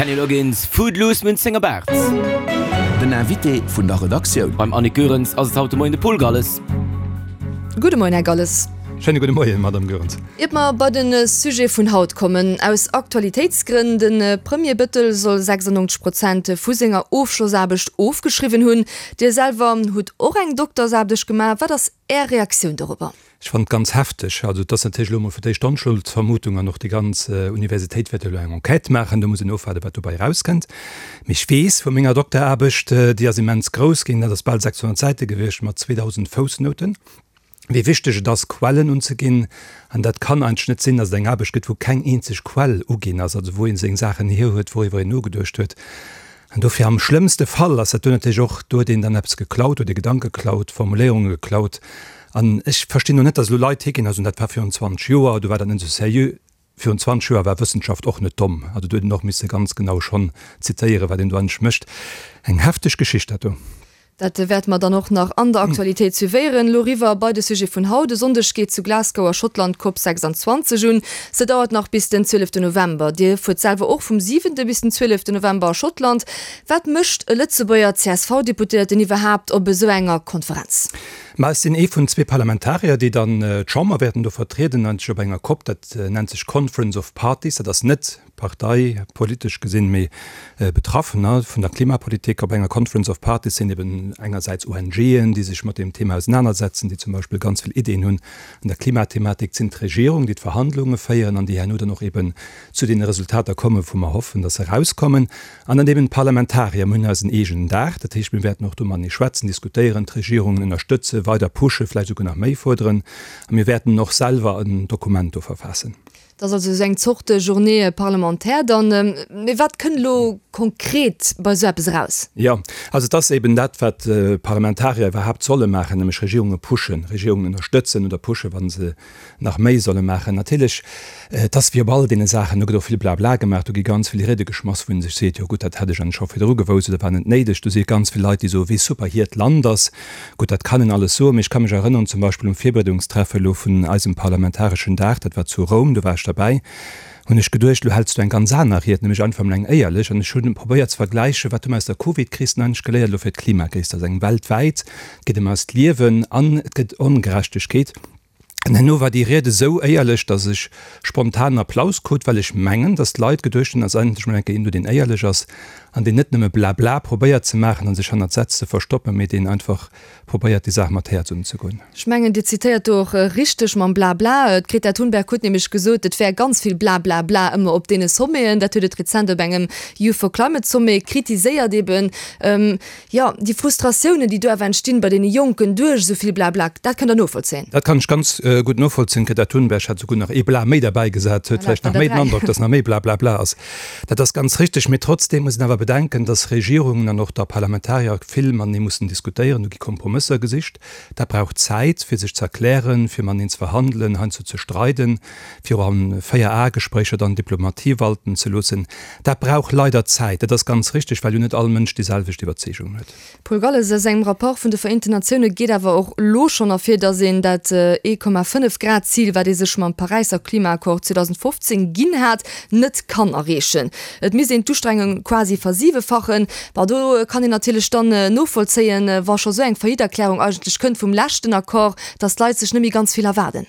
Kenny Loggins, Footloose, Münz senger Baart. Den Invité vun der Redaktioun. Beim Annick Goerens ass et haut de Moien de Paul Galles. Gudde Moien, Här Galles. Schéine gudde Moien, Madame Goerens. Iert mer bei de Sujet vun haut kommen, aus Aktualitéitsgrënn, De Premier Bëttel soll 96 Prozent vu senger Ofschlossaarbecht ofgeschriwwen hunn. Dir selwer hutt och eng Doktersaarbecht gemaach. Wat ass Är Reaktioun dorobber? Ech fannen et ganz hefteg. Also et ass natierlech elo emol fir d'éischt d'Onschuldsvermutung an och déi ganz Universitéit wäert jo elo eng Enquête maachen. Do muss een ofwaarden, wat dobäi erauskënnt. Mee ech weess vu menger Dokteraarbecht, déi ass immens grouss ginn, dat ass bal 600 Säite gewiescht mat 2.000 Foussnouten, wéi wichteg et ass, Quellen unzeginn. An dat kann eigentlech net sinn, datt et eng Aarbecht gëtt, wou keng eenzeg Quell uginn ass, also wou ee seng Saachen hierhuet, wouriwwer een nogeduecht huet. An dofir am schlëmmste Fall ass dat do natierlech och, do huet een dann eppes geklaut, huet ee Gedanke geklaut, Formuléierunge geklaut. An ech verstinn och net, datt elo Leit higinn a soen, dat war virun 20 Joer, do war dat net esou seriö. Virun 20 Joer war Wëssenschaft och net domm. Also do huet een och misse ganz genau schonn zitéieren, wat een do eigentlech mécht. Eng hefteg Geschicht dat do. Dat wäerte mer dann och nach an der Aktualitéit suivéieren. Elo eriwwer bei de Sujet vun haut. E Sonndeg geet zu Glasgow a Schottland d'Cop 26 un. Se dauert nach bis den 12 November. Dir fuert selwer och vum siwente bis den 12 November a Schottland. Wat mécht e Lëtzebuerger CSV-Deputéierten iwwerhaapt op esou enger Konferenz? Ma ech sinn ee vun zwee Parlamentarier, déi dann d'Chamber wäerten do vertrieden, eigentlech op enger Cop. Dat nennt sech Conference of Parties. Dat ass net Partei politesch gesinn, mee Betraffener vun der Klimapolitik. Op enger Conference of Parties sinn eben engersäits ONGen, déi sech mat deem Thema ausenanersetzen, déi zum Beispill ganz vill Iddien hunn an der Klimathematik. Et sinn d'Regierung, déi d'Verhandlunge féieren an déi herno dann och eben zu deene Resultater kommen, wou mer hoffen, dass se erauskommen. An dann eben d'Parlamentarier. Mir hunn eisen eegenen Dag, dat heescht, mir wäerten och do matenee schwätzen, diskutéieren, d'Regierungen ënnerstëtzen, weider pushen, vläicht esouguer nach méi fuerderen. A mir wäerten och selwer en Dokument do verfaassen. Dat ass also esou eng Zorte Journée parlementaire dann. Mee wat kënnt elo konkret bei esou eppes eraus? Jo, also et ass eben dat, wat Parlamentarier iwwerhaapt solle maachen, nämlech Regierunge pushen, Regierungen ënnerstëtzen oder pushen, wa se nach méi solle maachen. Natierlech, et ass wéi op all deene Saachen, do gëtt och vill Blabla gemaach, do gi ganz vill Riede geschmass, wou ee sech seet, jo gutt, dat hätt ech eigentlech scho virdru gewousst oder war net néideg. Do si ganz vill Leit, déi soen, wéi super hiert Land ass. Gutt, dat kann een alles soen, mee ech ka mech erënneren, zum Beispill um Virbereedungstreffe elo vun eisem parlamentareschen Dag, dat war zu Roum, do war ech derbäi, hunn ech geduecht, elo häls du eng ganz aner Ried, nämlech einfach emol eng éierlech. An ech hunn probéiert ze vergläichen, wat hu mer aus der Covidkris denn eigentlech geléiert elo fir d'Klimakris. Dat ass eng weltwäit, et geet ëm eist Liewen an et gëtt Ongerechtegkeet. An herno war déi Ried esou éierlech, datt ech spontan Applaus krut, well ech mengen, datt d'Leit geduecht hunn, ass endlech mol eng Kéier een do, deen éierlech ass an deen net nëmme Blabla probéiert ze maachen a sech hannert Sätz ze verstoppen, mee deen einfach probéiert, déi Saach mat Häerz unzegoen. Ech mengen, Dir zitéiert do och richteg mam Blabla. D'Greta Thunberg huet nämlech gesot, et wär ganz vill Blablabla ëmmer op deene Sommeten. Dat huet et rezent op engem Youth for Climate Sommet kritiséiert eben. Jo, déi Frustratiounen, déi do awer entstinn bei deene Jonken duerch esou vill Blabla, dat kënnt Der novollzéien? Dat kann ech ganz gutt novollzéien. D'Greta Thunberg hat souguer nach ee Bla méi derbäi gesat, huet vläicht nach méi den Androck, dass nach méi Blablabla ass. Dat ass ganz richteg. Mee trotzdeem muss een awer bedenken, dass Regierungen an och da Parlamentarier vill matenee mussen diskutéieren. Do gi Kompromësser gesicht. Dat brauch Zäit, fir sech ze erklären, fir mateneen ze verhandelen, heiansdo ze streiden, fir och a Véier-Ae-Gespréicher dann Diplomatie walten ze loossen. Dat brauch leider Zäit, dat ass ganz richteg, well jo net all Mënsch déi selwecht Iwwerzeegungen huet. Paul Galles, Aus engem Rapport vun de Vereenten Natioune geet awer och elo schonn ervir, datt een dat 1,5 Grad Zil, wat ee sech mam Paräisser Klimaaccord 2015 ginn hat, net kann erreechen. Et misst een d'Ustrengung quasi versiwefachen. Bon, do kann een natierlech dann novollzéien, wa scho sou eng Faillite-Erklärung eigentlech kënnt vum leschten Accord, datt d'Leit sech net méi ganz vill erwaarden.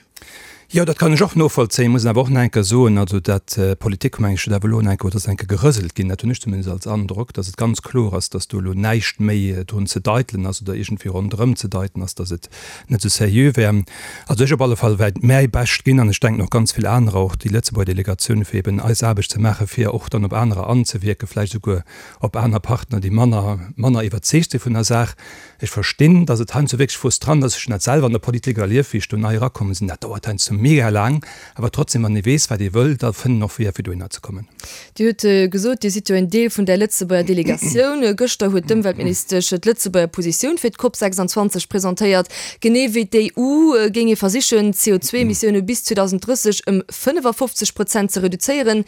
Jo, dat kann ech och novollzéien, muss een awer och nach eng Kéier soen, also dat Politik, meng ech, huet awer elo nach eng Kéier, oder ass nach eng Kéier gerëselt ginn, dat hunn ech zumindest als Androck, datt et ganz kloer ass, datt do elo näischt méi drun ze deitelen ass oder iergendwéi ronderëm ze deiten ass, datt et net esou seriö wär. Also ech op alle Fall wäert mäi Bescht ginn, an ech denken och ganz vill anerer, och déi Lëtzebuerger Delegatioun, fir eben eis Aarbecht ze maachen, fir och dann op anerer anzewierken, vläicht esouguer op aner Partner, déi manner, manner iwwerzeegt si vun der Saach. Ech verstinn, dass et heiansdo wierklech frustrant ass. Ech hunn dat selwer an der Politik erlieft, wéi ech do nei erakomm sinn. Dat dauert heiansdo mega laang. Awer trotzdem, wann ee weess, wat ee wëll, da fënnt een och Weeër, fir dohinner ze kommen. Dir hutt gesot, Dir sidd jo en Deel vun där Lëtzebuerger Delegatioun. Gëschter huet d'Ëmweltministesch d'Lëtzebuerger Positioun fir d'COP 26 presentéiert. Genee wéi d'EU géing ee versichen, d'CO2-Emissioune bis 2030 ëm 55 Prozent ze reduzéieren.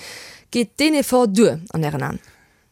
Geet deen Effort duer an Ären Aen?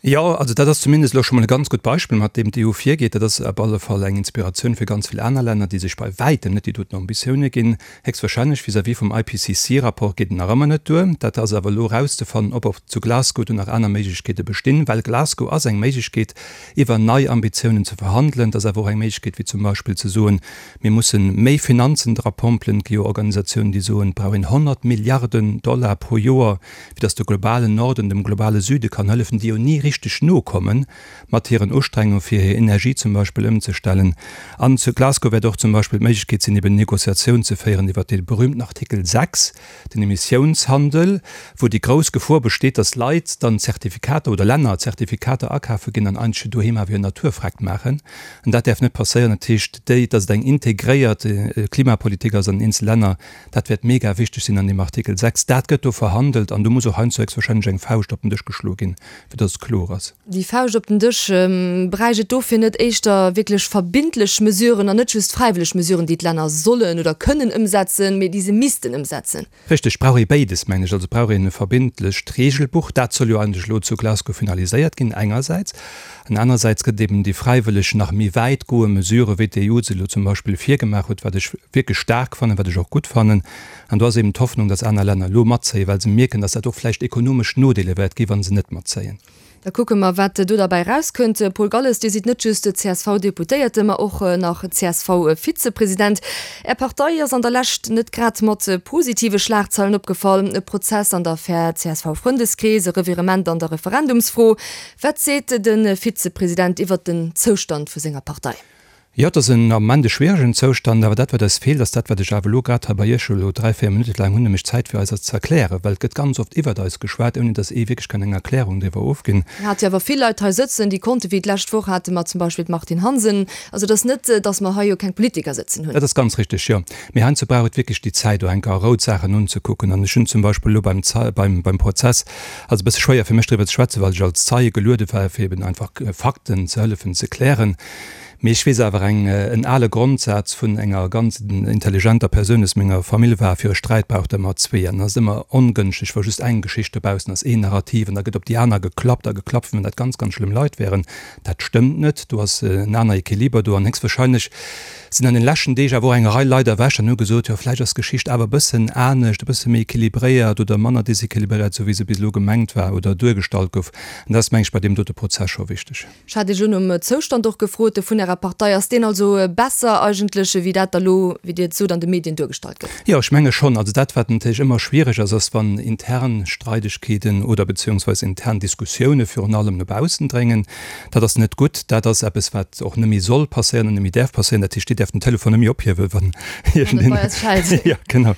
Jo, also dat ass zumindest elo scho mol e ganz gutt Beispill, mat deem d'EU virgeet. Dat ass op alle Fall eng Inspiratioun fir ganz vill aner Länner, déi sech bei wäitem net déi doten Ambitioune ginn. Héchstwahrscheinlech vis-à-vis vum IPCC-Rapport geet et nach ëmmer net duer. Dat ass awer elo erauszefannen, ob och zu Glasgow do nach aner Méiglechkeete bestinn, well Glasgow ass eng Méiglechkeet, iwwer nei Ambitiounen ze verhandelen. Et ass awer och eng Méiglechkeet, wéi zum Beispill ze soen, Mir mussen méi Finanzen drapompelen. Et gi jo Organisatiounen, déi soen, et brauch een 100 Milliarden Dollar pro Joer, fir datt de globalen Norden dem globale Süde kann hëllefen, déi jo ni richteg nokomme mat hiren Ustrengunge fir hir Energie zum Beispill ëmzestellen. An zu Glasgow wäert och zum Beispill d'Méiglechkeet sinn, eben Négociatioun ze féieren iwwert dee berühmten Artikel 6, den Emissiounshandel, wou déi grouss Gefor besteet, datt Leit dann Zertifikater oder Länner Zertifikater akafe ginn an eigentlech doheem awer hir Naturfreck maachen. An dat däerf net passéieren. Dat heescht, déi, datt et eng integréiert Klimapolitik ass an den eenzel Länner, Dat wäert mega wichteg sinn an deem Artikel 6. Dat gëtt do verhandelt an do muss och heiansdo héchstwahrscheinlech eng Fauscht op den Dësch geschloe ginn, fir datt et kloer ass. Déi Fauscht op den Dësch, bräicht et dofir net éischter wierklech verbindlech Mesuren an net just fräiwëlleg Mesuren, déi d'Länner sollen oder kënnen ëmsetzen, mee déi se missten ëmsetzen? Richteg, et brauch ee béides, mengen ech. Also et brauch een e verbindlecht Regelbuch, dat soll jo eigentlech elo zu Glasgow finaliséiert ginn engersäits, An anersäits gëtt et eben déi fräiwëlleg nach méi wäit goe Mesure wéi d'EU se elo zum Beispill virgemaach huet, wat ech wierklech staark fannen, wat ech och gutt fannen. An do ass eben d'Hoffnung, datt aner Länner elo matzéien, well se mierken, datt dat och vläicht ekonomesch Nodeeler wäert gi wa se net matzéien. Da kucke mer, wat do derbäi erauskënnt. Paul Galles, Dir sidd net just CSV-Deputéierte, ma och nach CSV-Vizepresident. Är Partei ass an der Lescht net grad mat positive Schlagzeilen opgefall, e Prozess an der Affär CSV-Frëndeskrees, e Revirement an der Referendumsfro. Wat seet de Vizepresident iwwert den Zoustand vu senger Partei? Jo, et ass en Ament e schwieregen Zoustand, awer dat wat eis feelt, ass dat wat ech awer elo grad hei bei Iech elo 3, 4 Minutte laang hunn, nämlech Zäit fir eis dat ze erklären, well et gëtt ganz oft iwwert eis geschwat, ouni datt ee wierklech kann eng Erklärung driwwer ofginn. Mir hate jo awer vill Leit hei sëtzen, déi konnten, wéi d'lescht Woch hate mer zum Beispill d'Martine Hansen. Also et ass net, datt mer hei jo keng Politiker sëtzen hunn. Dat ass ganz richteg, jo. Mee heiansdo brauch et wierklech déi Zäit, och eng Kéier a Rou d'Saachen unzekucken. An ech hunn zum Beispill elo beim, beim Prozess, also e bësse schwéier fir mech driwwer ze schwätzen, well ech als Zeie geluede war, fir eben einfach Fakten ze hëllefen ze klären. Mee ech weess awer eng, en ale Grondsaz vun enger ganz intelligenter Persoun aus menger Famill war, Fir e Sträit brauch et ëmmer zwee. An et ass ëmmer ongënschteg, wa just eng Geschicht dobaussen ass, een Narrativ, an da gëtt op déi aner geklappt a geklappt, wéi wann dat ganz, ganz schlëmm Leit wären. Dat stëmmt net, do ass en aner Equiliber do an héchstwahrscheinlech sinn an den leschten Deeg awer och eng Rei Leit erwächt an hu gesot, jo vläicht ass d'Geschicht awer e bëssen anescht, e bësse méi equilibréiert oder manner desequilibréiert, esou wéi se bis elo gemengt war oder duergestallt gouf. An dat ass, meng ech, bei deem dote Prozess scho wichteg. Ech hat Iech elo nom Zoustand och gefrot vun Ärer Partei. Ass deen also besser eigentlech, wéi dat da lo, wéi Dir et sot, an de Medien duergestallt gëtt? Jo, ech menge schonn. Also dat, wat natierlech ëmmer schwiereg ass, ass, wann intern Streidegkeeten oder beziehungsweise intern Diskussioune virun allem no baussen dréngen. Dat ass net gutt. Dat ass eppes, wat och net méi soll passéieren an net méi däerf passéieren. Dat heescht, Dir däerft den Telefon net méi ophiewen, wann iergendeen. Wann et bei eis schellt. Jo, genau.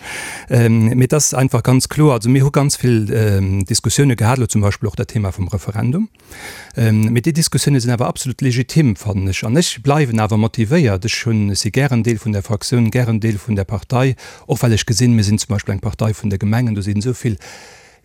Mee et ass einfach ganz kloer, also mir hu ganz vill Diskussioune gehat, elo zum Beispill och dat Thema vum Referendum. Mee déi Diskussioune sinn awer absolut legitim, fannen ech. An ech bleiwen awer motivéiert. Ech hunn, ech si gären Deel vun där Fraktioun, gären Deel vun där Partei, och well ech gesinn, mir sinn zum Beispill eng Partei vun de Gemengen, do sinn esou vill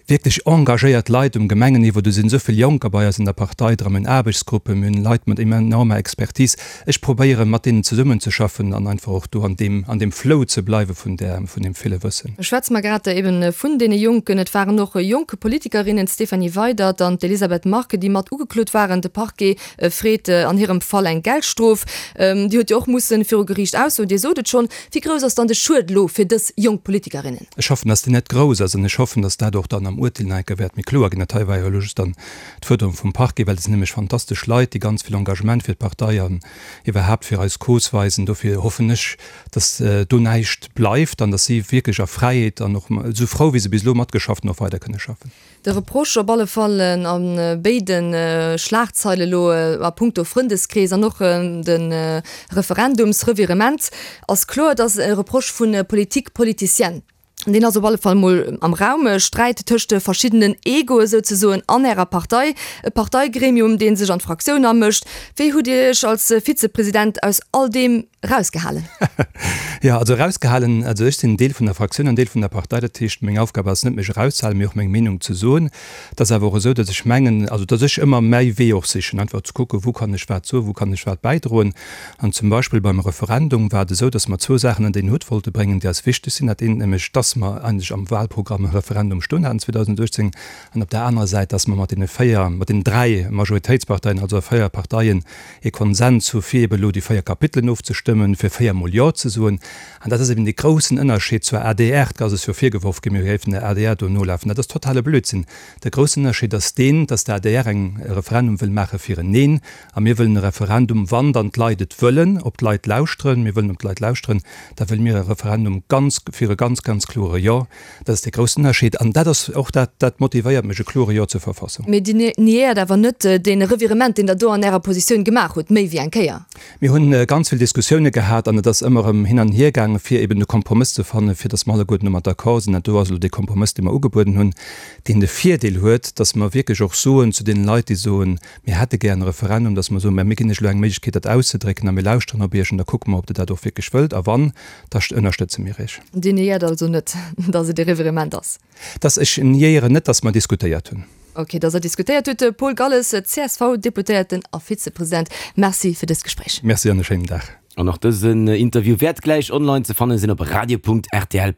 wierklech engagéiert Leit um Gemengenniveau, do sinn esou vill Jonker bei eis an der Partei dran, mir hunn Aarbechtsgruppen, mir hunn Leit mat enormer Expertise. Ech probéieren, mat deenen zesummenzeschaffen an einfach och do an deem, an deem Flow ze bleiwe vun där, vun deem ville Wëssen. Schwätze mer grad eben vun deene Jonken. Et waren och jonk Politikerinnen, d'Stéphanie Weydert an d'Elisabeth Margue, déi mat ugeklot waren. De Parquet freet an hirem Fall eng Geldstrof. Dir hutt jo och mussen viru Geriicht aussoen, Dir sot et schonn. Wéi grouss ass dann de Schued elo fir dës jonk Politikerinnen? Ech hoffen, dass deen net grouss ass an ech hoffen, dass dat och dann am Urteel nach eng Kéier wäert méi kloer ginn. Dat hei war jo elo just dann d'Fuerderung vum Parquet, well et sinn nämlech fantastesch Leit, déi ganz vill Engagement fir d'Partei an iwwerhaapt fir eis Cause weisen. Dofir hoffen ech, dass do näischt bleift an dass si wierklech a Fräiheet an och esou frou, wéi se bis elo matgeschafft hunn, och weider kënne schaffen. De Reproche op alle Fall a béide Schlagzeile elo a punkto Frëndeskrees an och de Referendumsrevirement ass kloer, et ass e Reproche vu Politique politicienne. Deen ass op alle Fall mol am Raum. E Sträit tëscht de verschiddenen Egoe souzesoen an Ärer Partei. E Parteigremium, dee sech an d'Fraktioun amëscht. Wéi hutt Dir Iech als Vizepresident aus all deem erausgehalen? Jo, also erausgehalen, also ech sinn Deel vun der Fraktioun an Deel vun der Partei. Dat heescht, meng Aufgab ass net, mech erauszehalen, mee och meng Meenung ze soen. Et ass awer och esou, datt ech mengen, also datt ech ëmmer mäi Wee och sichen, einfach ze kucken, wou kann ech wat soen, wou kann ech wat bäidroen. An zum Beispill beim Referendum war et esou, datt mer zwou Saachen ënner een Hutt wollte bréngen, déi eis wichteg sinn. Dat eent nämlech, datt. dass mer eigentlech am Wahlprogramm e Referendum stoen haten 2018, an op der anerer Säit, dass mer mat deene 4, mat deenen 3 Majoritéitsparteien, also 4 Parteien, ee Konsens hu fir eben elo déi 4 Kapitelen ofzestëmmen, fir 4 mol Jo ze soen. An dat ass eben dee groussen Ënnerscheed zur adr. Et ass eis jo virgeworf ginn, mir géifen der adr do nolafen. Dat ass totale Blödsinn. De groussen Ënnerscheed ass deen, dass d'ADR eng e Referendum wëll maache fir en Neen, a mir wëllen e Referendum, wann dann d'Leit et wëllen, op d'Leit lauschteren, mir wëllen op d'Leit lauschteren, da wëlle mir e Referendum ganz fir e ganz, ganz klore Jo. Dat ass dee groussen Ënnerscheed an dat ass och dat, dat motivéiert mech, e klore Jo zur Verfassung. Mee Dir niéiert awer net dee Revirement, deen Der do an Ärer Positioun gemaach hutt, méi wéi eng Kéier. Mir hunn ganz vill Diskussioune gehat an et ass ëmmer erëm hin an hier gaangen, fir eben e Kompromëss ze fannen, fir datt mer alleguerten domat d'accord sinn. Dat do ass elo dee Kompromëss, dee mer ugebueden hunn, deen de Virdeel huet, datt mer wierklech och soen zu deene Leit, déi soen, mir hätte gär e Referendum, datt mer soen, mä mir ginn iech elo eng Méiglechkeet, dat auszedrécken a mir lauschteren op iech an da kucke mer, ob Der dat och wierklech wëllt a wann, da ënnerstëtze mir iech. Dir niéiert also net, datt et e Revirement ass? Dass ech niéieren net, dass mer diskutéiert hunn. Ok, dass Der diskutéiert hutt. Paul Galles, CSV-Deputéierten a Vizepresident, Merci fir dëst Gespréich. Merci an e schéinen Dag. An och dësen Interview wäert gläich online ze fanne sinn op radio.rtl.